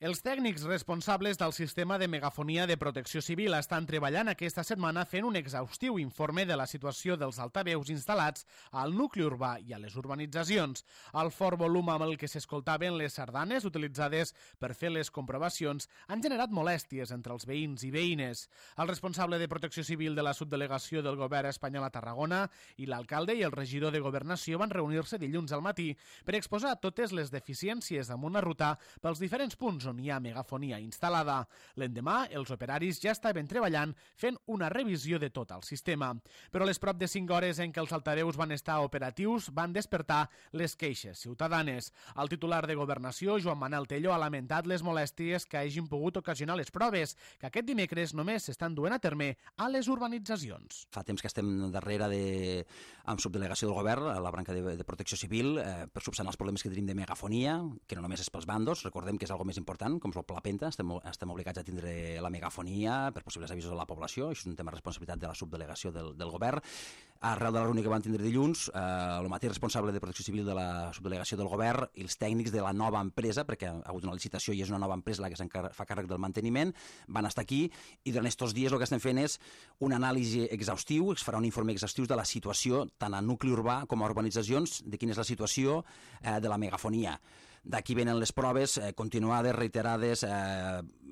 Els tècnics responsables del sistema de megafonia de protecció civil estan treballant aquesta setmana fent un exhaustiu informe de la situació dels altaveus instal·lats al nucli urbà i a les urbanitzacions. El fort volum amb el que s'escoltaven les sardanes utilitzades per fer les comprovacions han generat molèsties entre els veïns i veïnes. El responsable de protecció civil de la subdelegació del govern espanyol a Tarragona i l'alcalde i el regidor de Governació van reunir-se dilluns al matí per exposar totes les deficiències damunt la ruta pels diferents punts on hi ha megafonia instal·lada. L'endemà, els operaris ja estaven treballant fent una revisió de tot el sistema. Però a les prop de 5 hores en què els altaveus van estar operatius van despertar les queixes ciutadanes. El titular de Governació, Joan Manel Tello, ha lamentat les molèsties que hagin pogut ocasionar les proves, que aquest dimecres només s'estan duent a terme a les urbanitzacions. Fa temps que estem darrere amb subdelegació del govern, a la branca de protecció civil, per subsanar els problemes que tenim de megafonia, que no només és pels bandos, recordem que és algo més important, com és el Pla Penta, estem obligats a tindre la megafonia per possibles avisos a la població, això és un tema de responsabilitat de la subdelegació del govern. Arrel de la reunió que van tindre dilluns, el mateix responsable de protecció civil de la subdelegació del govern i els tècnics de la nova empresa, perquè ha hagut una licitació i és una nova empresa la que fa càrrec del manteniment, van estar aquí i durant aquests dies el que estem fent és una anàlisi exhaustiu, es farà un informe exhaustiu de la situació tant a nucli urbà com a urbanitzacions, de quina és la situació de la megafonia. D'aquí venen les proves continuades, reiterades,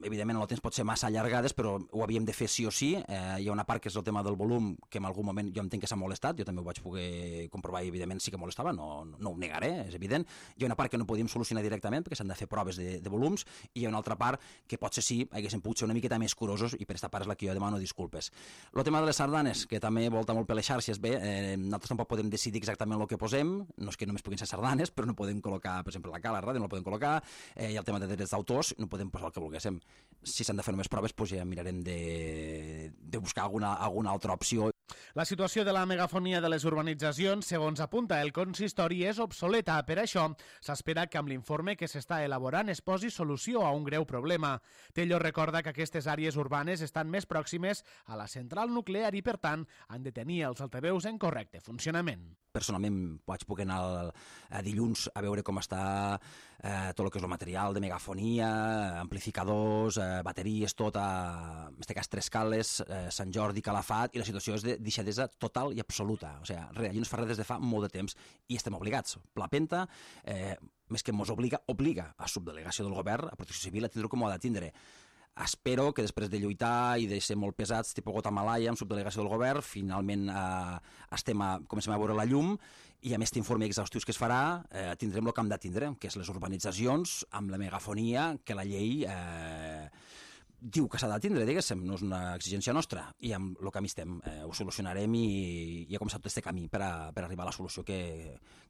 evidentment el temps pot ser massa allargades, però ho havíem de fer sí o sí. Hi ha una part que és el tema del volum, que en algun moment jo entenc que s'ha molestat, jo també ho vaig poder comprovar i evidentment sí que molestava, no ho negaré, és evident. Hi ha una part que no podíem solucionar directament perquè s'han de fer proves de volums i hi ha una altra part que potser sí haguéssim pogut ser una miqueta més curosos i per aquesta part és la que jo demano disculpes. El tema de les sardanes, que també volta molt per les xarxes, bé, nosaltres tampoc podem decidir exactament el que posem, no és que només puguin ser sardanes, però no podem col·locar, per exemple, la cala, ràdio, no la podem col·locar, i el tema de drets d'autors no podem posar el que volguéssim. Si s'han de fer només proves, doncs ja mirarem de buscar alguna altra opció. La situació de la megafonia de les urbanitzacions, segons apunta el consistori, és obsoleta. Per això, s'espera que amb l'informe que s'està elaborant es posi solució a un greu problema. Tello recorda que aquestes àrees urbanes estan més pròximes a la central nuclear i, per tant, han de tenir els altaveus en correcte funcionament. Personalment vaig poder anar dilluns a veure com està tot el que és el material de megafonia, amplificadors, bateries, tot en aquest cas 3 cales, Sant Jordi, Calafat, i la situació és de deixadesa total i absoluta. O sigui, allí no es fa res des de fa molt de temps i estem obligats. Pla Penta, més que ens obliga a subdelegació del govern, a protecció civil, a tindre com ho ha de tindre. Espero que després de lluitar i de ser molt pesats, tipus Guatemala, amb subdelegació del govern, finalment comencem a veure la llum i amb aquest informe exhaustiu que es farà tindrem el que hem de tindre, que és les urbanitzacions amb la megafonia que la llei diu que s'ha de tindre, diguéssim, no és una exigència nostra, i amb el camí estem, ho solucionarem i ha començat tot aquest camí per arribar a la solució que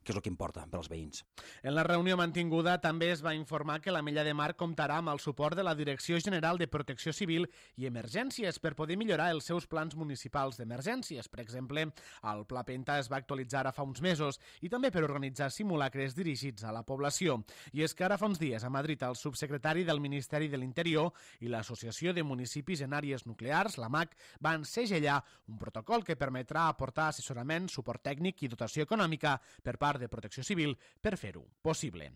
és el que importa per als veïns. En la reunió mantinguda també es va informar que la Mella de Mar comptarà amb el suport de la Direcció General de Protecció Civil i Emergències per poder millorar els seus plans municipals d'emergències. Per exemple, el Pla Penta es va actualitzar ara fa uns mesos i també per organitzar simulacres dirigits a la població. I és que ara fa uns dies a Madrid el subsecretari del Ministeri de l'Interior i l'Associació de Municipis en Àrees Nuclears, la MAC, van segellar un protocol que permetrà aportar assessorament, suport tècnic i dotació econòmica per part de Protecció Civil per fer-ho possible.